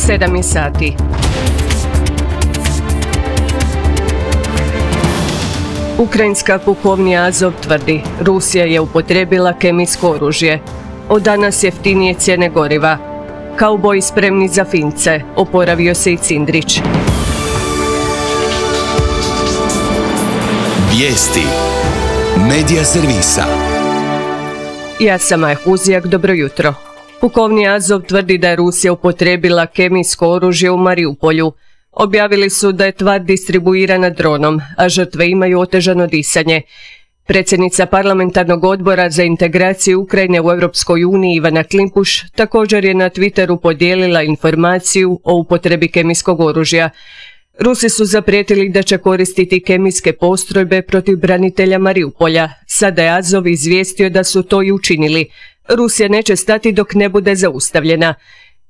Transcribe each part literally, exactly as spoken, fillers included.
sedam je sati. Ukrajinska pukovnija Azov tvrdi, Rusija je upotrijebila kemijsko oružje. Od danas jeftinije cijene goriva. Kauboji spremni za Fince, oporavio se i Cindrić. Vijesti Medija servisa. Ja sam Maja Huzijak, dobro jutro. Pukovnija Azov tvrdi da je Rusija upotrijebila kemijsko oružje u Mariupolju. Objavili su da je tvar distribuirana dronom, a žrtve imaju otežano disanje. Predsjednica parlamentarnog odbora za integraciju Ukrajine u Europskoj uniji Ivana Klimpuš također je na Twitteru podijelila informaciju o upotrebi kemijskog oružja. Rusi su zaprijetili da će koristiti kemijske postrojbe protiv branitelja Mariupolja. Sada je Azov izvijestio da su to i učinili. Rusija neće stati dok ne bude zaustavljena.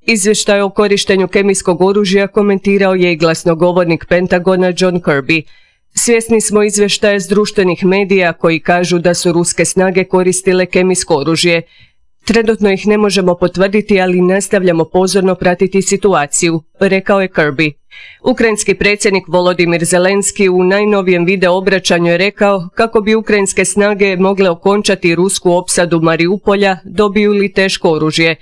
Izvještaj o korištenju kemijskog oružja komentirao je i glasnogovornik Pentagona John Kirby. Svjesni smo izvještaja s društvenih medija koji kažu da su ruske snage koristile kemijsko oružje. Trenutno ih ne možemo potvrditi, ali nastavljamo pozorno pratiti situaciju, rekao je Kirby. Ukrajinski predsjednik Volodimir Zelenski u najnovijem video obraćanju je rekao kako bi ukrajinske snage mogle okončati rusku opsadu Mariupolja, dobiju li teško oružje.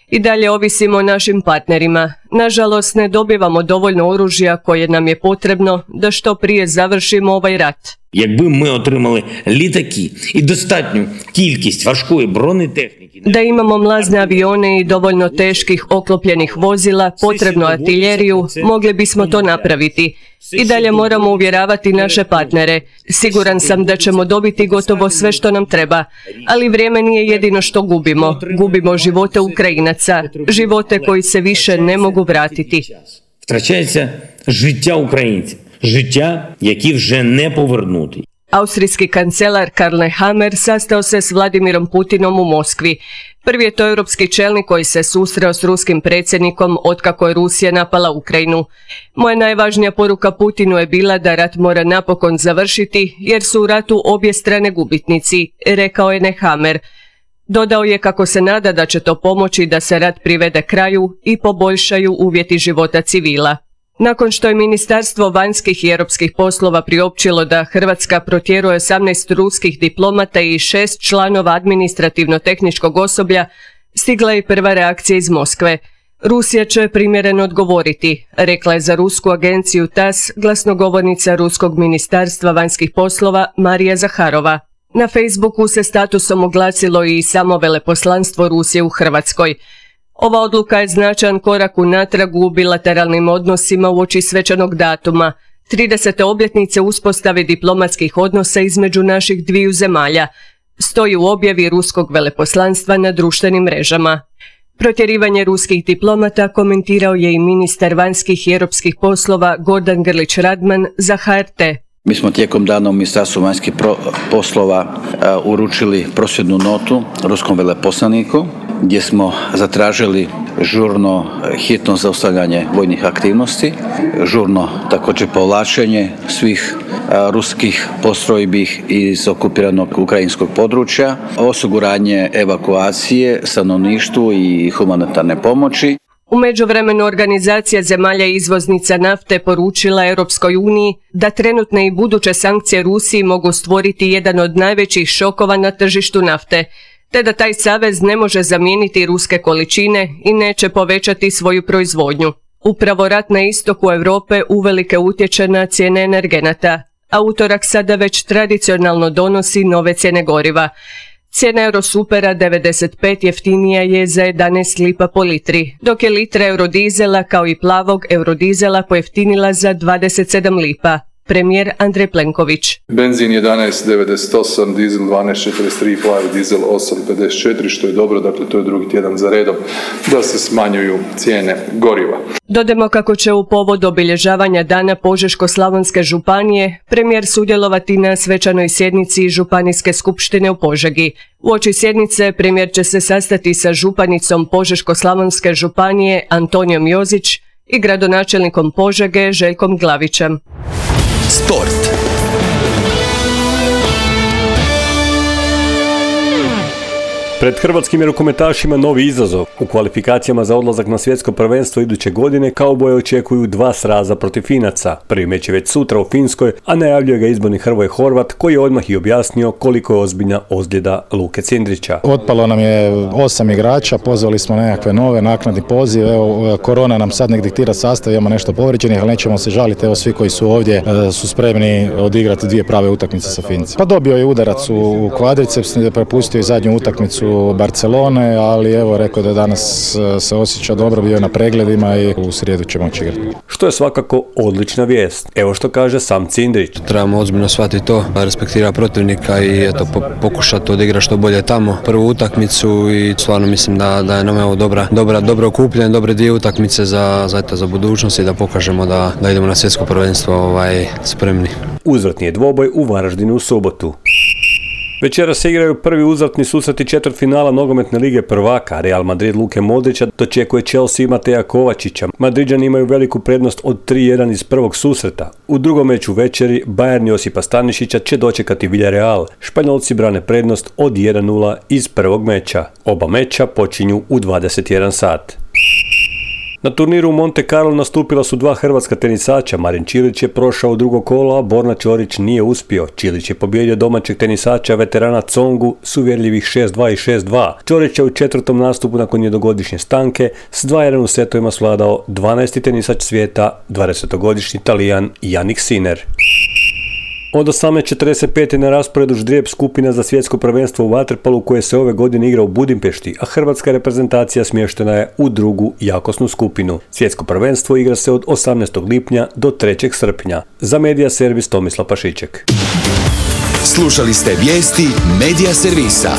I dalje ovisimo o našim partnerima. Nažalost, ne dobivamo dovoljno oružja koje nam je potrebno da što prije završimo ovaj rat. Якби ми отримали літаки і достатню кількість важкої бронетехніки. Da imamo mlazne avione i dovoljno teških oklopljenih vozila, potrebnu artiljeriju, mogli bismo to napraviti. I dalje moramo uvjeravati naše partnere. Siguran sam da ćemo dobiti gotovo sve što nam treba, ali vrijeme nije jedino što gubimo. Gubimo živote Ukrajinaca, živote koji se više ne mogu vratiti. Втрачається життя українців. Життя, які вже не повернути. Austrijski kancelar Karl Nehammer sastao se s Vladimirom Putinom u Moskvi. Prvi je to europski čelnik koji se susreo s ruskim predsjednikom otkako je Rusija napala Ukrajinu. Moja najvažnija poruka Putinu je bila da rat mora napokon završiti jer su u ratu obje strane gubitnici, rekao je Nehammer. Dodao je kako se nada da će to pomoći da se rat privede kraju i poboljšaju uvjeti života civila. Nakon što je Ministarstvo vanjskih i europskih poslova priopćilo da Hrvatska protjeruje osamnaest ruskih diplomata i šest članova administrativno-tehničkog osoblja, stigla je prva reakcija iz Moskve. Rusija će primjereno odgovoriti, rekla je za rusku agenciju T A S glasnogovornica Ruskog ministarstva vanjskih poslova Marija Zaharova. Na Facebooku se statusom oglasilo i samo veleposlanstvo Rusije u Hrvatskoj. Ova odluka je značajan korak unatrag u bilateralnim odnosima uoči svečanog datuma, tridesete obljetnice uspostave diplomatskih odnosa između naših dviju zemalja, stoji u objavi ruskog veleposlanstva na društvenim mrežama. Protjerivanje ruskih diplomata komentirao je i ministar vanjskih i europskih poslova Gordan Grlić Radman za H R T. Mi smo tijekom dana u Ministarstvu vanjskih poslova uh, uručili prosvjednu notu ruskom veleposlaniku gdje smo zatražili žurno hitno zaustavljanje vojnih aktivnosti, žurno također povlačenje svih uh, ruskih postrojbi iz okupiranog ukrajinskog područja, osiguranje evakuacije stanovništvu i humanitarne pomoći. U međuvremenu organizacija zemalja izvoznica nafte poručila Europskoj uniji da trenutne i buduće sankcije Rusiji mogu stvoriti jedan od najvećih šokova na tržištu nafte, te da taj savez ne može zamijeniti ruske količine i neće povećati svoju proizvodnju. Upravo rat na istoku Europe uvelike utječe na cijene energenata, a utorak sada već tradicionalno donosi nove cijene goriva. Cijena Eurosupera devedeset pet jeftinija je za jedanaest lipa po litri, dok je litra eurodizela kao i plavog eurodizela pojeftinila za dvadeset sedam lipa. Premijer Andrej Plenković. Benzin jedanaest devedeset osam, dizel dvanaest četrdeset tri, plavi dizel osam pedeset četiri, što je dobro, dakle to je drugi tjedan za redom da se smanjuju cijene goriva. Dodajmo kako će u povod obilježavanja Dana Požeško-slavonske županije premijer sudjelovati na svečanoj sjednici Županijske skupštine u Požegi. Uoči sjednice premijer će se sastati sa županicom Požeško-slavonske županije Antonijom Jozić i gradonačelnikom Požege Željkom Glavićem. Sport. Pred hrvatskim je rukometašima novi izazov. U kvalifikacijama za odlazak na svjetsko prvenstvo iduće godine kauboje očekuju dva sraza protiv Finaca. Prvi meč je već sutra u Finskoj, a najavljuje ga izborni Hrvoje Horvat koji je odmah i objasnio koliko je ozbiljna ozljeda Luke Cindrića. Otpalo nam je osam igrača, pozvali smo nekakve nove naknadni poziv. Evo, korona nam sad nek diktira sastav, imamo nešto povrijeđenih, ali nećemo se žaliti. Evo, svi koji su ovdje su spremni odigrati dvije prave utakmice sa Finci. Pa dobio je udarac u kvadriceps, prepustio i zadnju utakmicu Barcelone, ali evo rekao da danas se osjeća dobro, bio je na pregledima i u srijedu će moći igrati. Što je svakako odlična vijest. Evo što kaže sam Cindrić. Trebamo ozbiljno shvatiti to, respektira protivnika i eto, po, pokušati odigrati što bolje tamo prvu utakmicu i stvarno mislim da, da je nam evo dobra, dobra, dobro okupljen, dobre dvije utakmice za, za, eto, za budućnost i da pokažemo da, da idemo na svjetsko prvenstvo ovaj, spremni. Uzvratni je dvoboj u Varaždinu u subotu. Večera se igraju prvi uzvratni susreti četvrtfinala nogometne lige prvaka. Real Madrid Luke Modrića dočekuje Chelsea Mateja Kovačića. Madriđani imaju veliku prednost od tri jedan iz prvog susreta. U drugom meču večeri Bayern Josipa Stanišića će dočekati Villarreal. Španjolci brane prednost od jedan nula iz prvog meča. Oba meča počinju u dvadeset jedan sat. Na turniru u Monte Carlo nastupila su dva hrvatska tenisača. Marin Čilić je prošao u drugo kolo, a Borna Ćorić nije uspio. Čilić je pobijedio domaćeg tenisača veterana Tsongu s uvjerljivih šest dva i šest dva. Ćorić je u četvrtom nastupu nakon jednogodišnje stanke s dva jedan u setovima svladao dvanaesti tenisač svijeta, dvadesetogodišnji Talijan Jannik Sinner. Od osamnaest četrdeset pet je na rasporedu ždrijeb skupina za svjetsko prvenstvo u vaterpolu koje se ove godine igra u Budimpešti, a hrvatska reprezentacija smještena je u drugu jakosnu skupinu. Svjetsko prvenstvo igra se od osamnaestog lipnja do trećeg srpnja. Za Medija Servis Tomislav Pašiček. Slušali ste vijesti Medija Servisa.